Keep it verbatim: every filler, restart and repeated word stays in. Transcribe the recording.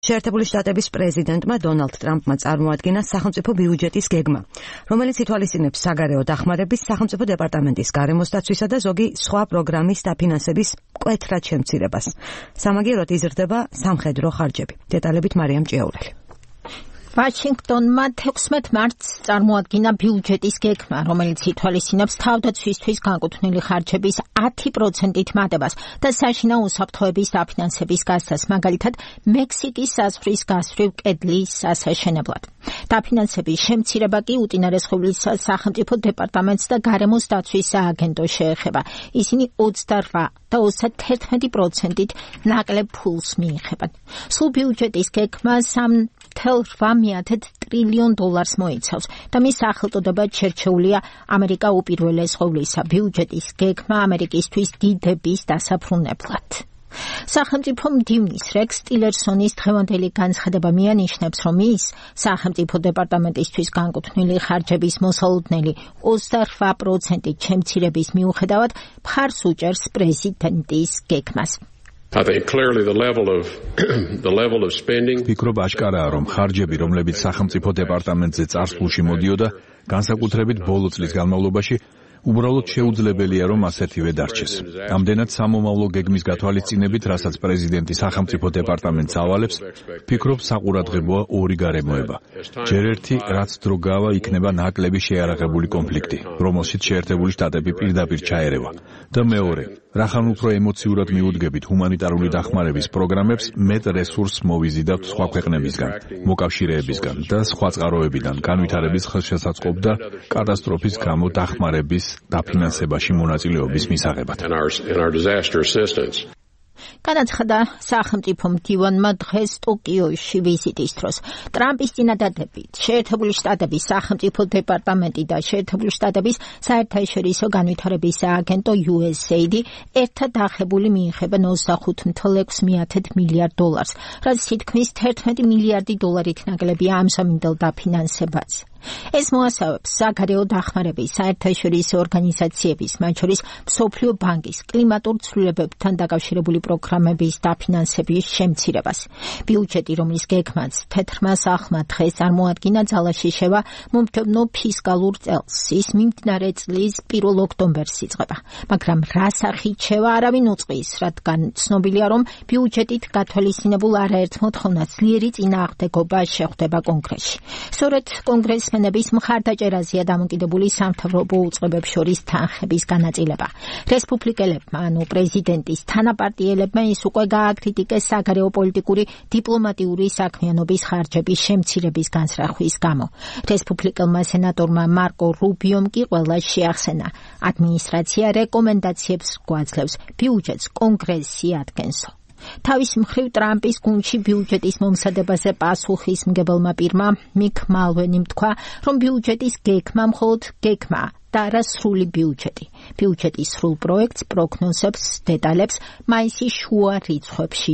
შეერთებული შტატების პრეზიდენტმა დონალდ ტრამპმა წარმოადგინა სახელმწიფო ბიუჯეტის გეგმა, რომელიც ითვალისწინებს საგარეო დახმარების, სახელმწიფო დეპარტამენტის გარემოს დაცვისა და ზოგი სხვა პროგრამის დაფინანსების მკვეთრად შემცირებას. სამაგიეროდ იზრდება სამხედრო ხარჯები. დეტალებით მარიამ ჭიაურელი. ვაშინგტონმა თექვსმეტ მარტს წარმოადგინა ბიუჯეტის გეგმა, რომელიც ითვალისწინებს თავდაცვისთვის განკუთვნილი ხარჯების ათი პროცენტით მატებას და საშინაო უსაფრთხოების დაფინანსების გასცას, მაგალითად, მექსიკის საზღვრის გასწვრივ კედლის ასაშენებლად. დაფინანსების შემცირება კი უწინარესხმის სახელმწიფო დეპარტამენტს და გარემოს დაცვის სააგენტოს შეეხება. ისინი ოცდარვა და ოცდაათი პროცენტით ნაკლებ ფულს მიიღებენ. სულ ბიუჯეტის გეგმა სამ თელა მეათე ტრილიონ დოლარს მოიცავს და მის სახელწოდება შერჩეულია ამერიკა უპირველეს ყოვლისა ბიუჯეტის გეგმა ამერიკისთვის დიდების დასაფრუნებლად. სახელმწიფო მდივნის რეკს ტილერსონის დღევანდელი განცხადება მიანიშნებს, რომ ის სახელმწიფო დეპარტამენტისთვის განკუთვნილი ხარჯების მოსალოდნელი ოცდარვა პროცენტით შემცირების მიუხედავად მხარს უჭერს პრეზიდენტის გეგმას. I think clearly the level of the level of spending ფიქრობ აშკარაა, რომ ხარჯები, რომლებიც სახელმწიფო დეპარტამენტზე წარსულში მოდიოდა, განსაკუთრებით ბოლო წლის განმავლობაში, უბრალოდ შეუძლებელია, რომ ასეთივე დარჩეს. ამდენად სამომავლო გეგმის გათვალისწინებით, რასაც პრეზიდენტი სახელმწიფო დეპარტამენტს ავალებს, ფიქრობ საყურადღებოა ორი გარემოება. ჯერ ერთი, რაც დრო გავა, იქნება ნაკლები შეიარაღებული კონფლიქტი, რომელშიც შეერთებული შტატები პირდაპირ ჩაერევა. და მეორე, რახან უფრო ემოციურად მიუდგებით ჰუმანიტარული დახმარების პროგრამებს, მეტ რესურსს მოვიზიდავთ სხვა ქვეყნებისგან, მოკავშირეებისგან და სხვა წყაროებიდან, განვითარების ხელშესაწყობ და კატასტროფის გამო დახმარების დაფინანსებაში მონაწილეობის მისაღებად. განაცხადა სახელმწიფო მდივანმა დღეს ტოკიოში ვიზიტის დროს. ტრამპის წინადადებით შეერთებული შტატების სახელმწიფო დეპარტამენტი და შეერთებული შტატების საერთაშორისო განვითარების სააგენტო იუ ეს ეი დი ერთად აღებული მიიღებენ ოცდახუთ თელა ექვსი მილიარდ დოლარს, რაც თითქმის თერთმეტი მილიარდი დოლარით ნაკლებია ამჟამინდელ დაფინანსებას. ეს მოასწავებს საგარეო დახმარების საერთაშორისო ორგანიზაციების, მათ შორის მსოფლიო ბანკის კლიმატურ ცვლილებებთან დაკავშირებული პროგრამების დაფინანსების შემცირებას. ბიუჯეტი, რომლის გეგმაც თეთრმა სახლმა დღეს წარმოადგინა, ძალაში შევა მომდევნო ფისკალურ წელს. ის მიმდინარე წლის პირველ ოქტომბერს იწყება, მაგრამ რა სახით შევა არავინ უწყის, რადგან ცნობილია, რომ ბიუჯეტით გათვალისწინებულ არაერთ მოთხოვნას ძლიერი წინააღმდეგობა შეხვდება კონგრესში. სწორედ კონგრესს მენების მხარდაჭერაზეა დამოკიდებული სამთავრობო უწყებებს შორის თანხების განაწილება. რესპუბლიკელებმა, ანუ პრეზიდენტის თანაპარტიელებმა ის უკვე გააკრიტიკეს საგარეო პოლიტიკური დიპლომატიური საქმიანობის ხარჯების შემცირების განსრახვის გამო. რესპუბლიკელმა სენატორმა მარკო რუბიომ კი ყველა შეახსენა. ადმინისტრაცია რეკომენდაციებს გვაძლევს ბიუჯეტს კონგრესში ადგენსო. თავის მხრივ ტრამპის გუნდში ბიუჯეტის მომზადებაზე პასუხისმგებელმა პირმა მიკ მალვენიმ თქვა, რომ ბიუჯეტის გეგმა მხოლოდ გეგმაა და არა სრული ბიუჯეტი. ბიუჯეტის სრულ პროექტს, პროგნოზებს, დეტალებს მაისის შუა რიცხვებში